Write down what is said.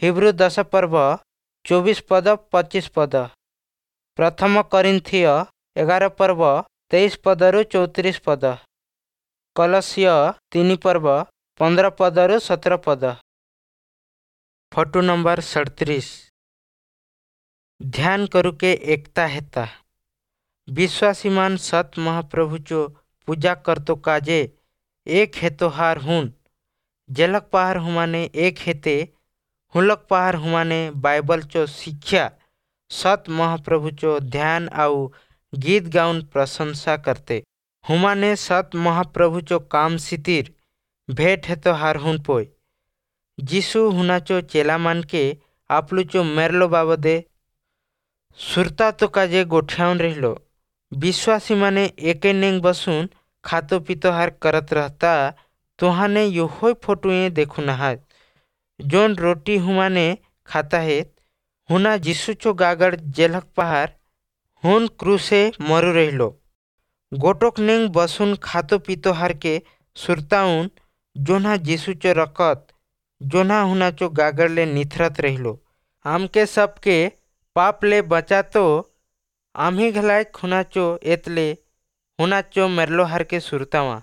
ହିବ୍ରୁ 10 ପର୍ବ 24 ପଦ 25 ପଦ। ପ୍ରଥମ କରିନ୍ଥୀୟ 11 ପର୍ବ 23 ପଦରୁ 34 ପଦ। କଲସୀୟ 3 ପର୍ବ 15 ପଦରୁ 17 ପଦ। Photo number 37। ध्यान करुके एकता हेता। विश्वासीमान सत महाप्रभुचो पूजा करतो काजे एक हेतोहार हुन। जेलक पहार हुमाने एक हेते हुलक पहार हुमाने बाइबलचो शिक्षा सत महाप्रभुचो ध्यान आउ गीत गाउन प्रशंसा करते। हुमाने सत महाप्रभुचो काम सितिर भेट हेतोहार हुन पोय। जीशु हुनाचो चेलामान के आपलुचो मेरलो बाबदे सुरता तो काजे गोठ्याउन रहिलो। विश्वासी माने एके नेंग बसून खातो पितो हार करत रहता तुहाने योहोय फोटुए देखू नहात। जोन रोटी हुमाने खाता है हुना जीशुचो गागड़ जेलक पहार हुन क्रूसे मरु रहिलो। गोटोक नेंग बसून खातो पितो हार के सुरताउन जोना जीशुचो रकत जोना हुनाचो गागड़ ले निथरत रहिलो। आमके सबके पाप ले बचातो आम्ही घलाय खुनाचो एतले हुनाचो मेरलो हार के सुरतावा।